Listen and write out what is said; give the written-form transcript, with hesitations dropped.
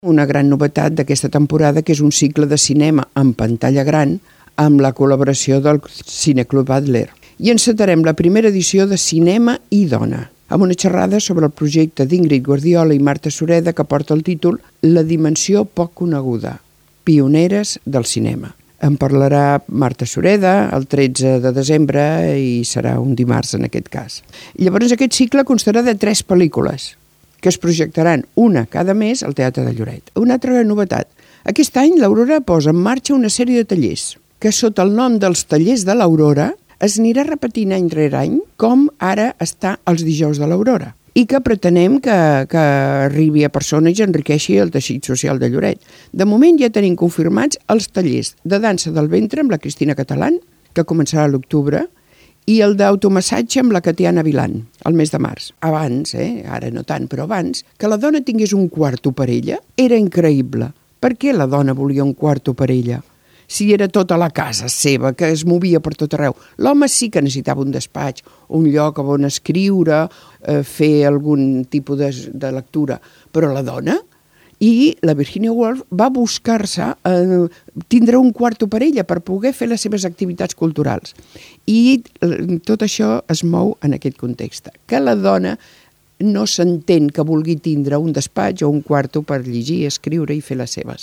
Una gran novetat d'aquesta temporada, que és un cicle de cinema en pantalla gran amb la col·laboració del Cineclub Adler. I encetarem la primera edició de Cinema i Dona, amb una xerrada sobre el projecte d'Ingrid Guardiola i Marta Sureda que porta el títol La dimensió poc coneguda, pioneres del cinema. En parlarà Marta Sureda el 13 de desembre i serà un dimarts en aquest cas. Llavors aquest cicle constarà de 3 pel·lícules que es projectaran una cada mes al Teatre de Lloret. Una altra novetat. Aquest any l'Aurora posa en marxa una sèrie de tallers que sota el nom dels Tallers de l'Aurora es anirà repetint any rere any com ara està els dijous de l'Aurora i que pretenem que arribi a persones i enriqueixi el teixit social de Lloret. De moment ja tenim confirmats els tallers de dansa del ventre amb la Cristina Catalán, que començarà a l'octubre, i el d'automassatge amb la Catiana Vilan, al mes de març. Abans, ara no tant, però abans, que la dona tingués un quarto per ella era increïble. Per què la dona volia un quarto per ella? Si era tota la casa seva, que es movia per tot arreu. L'home sí que necessitava un despatx, un lloc on escriure, fer algun tipus de lectura, però la dona... I la Virginia Woolf va buscar-se tindre un quarto per ella per poder fer les seves activitats culturals. I tot això es mou en aquest context, que la dona no s'entén que vulgui tindre un despatx o un quarto per llegir, escriure i fer les seves.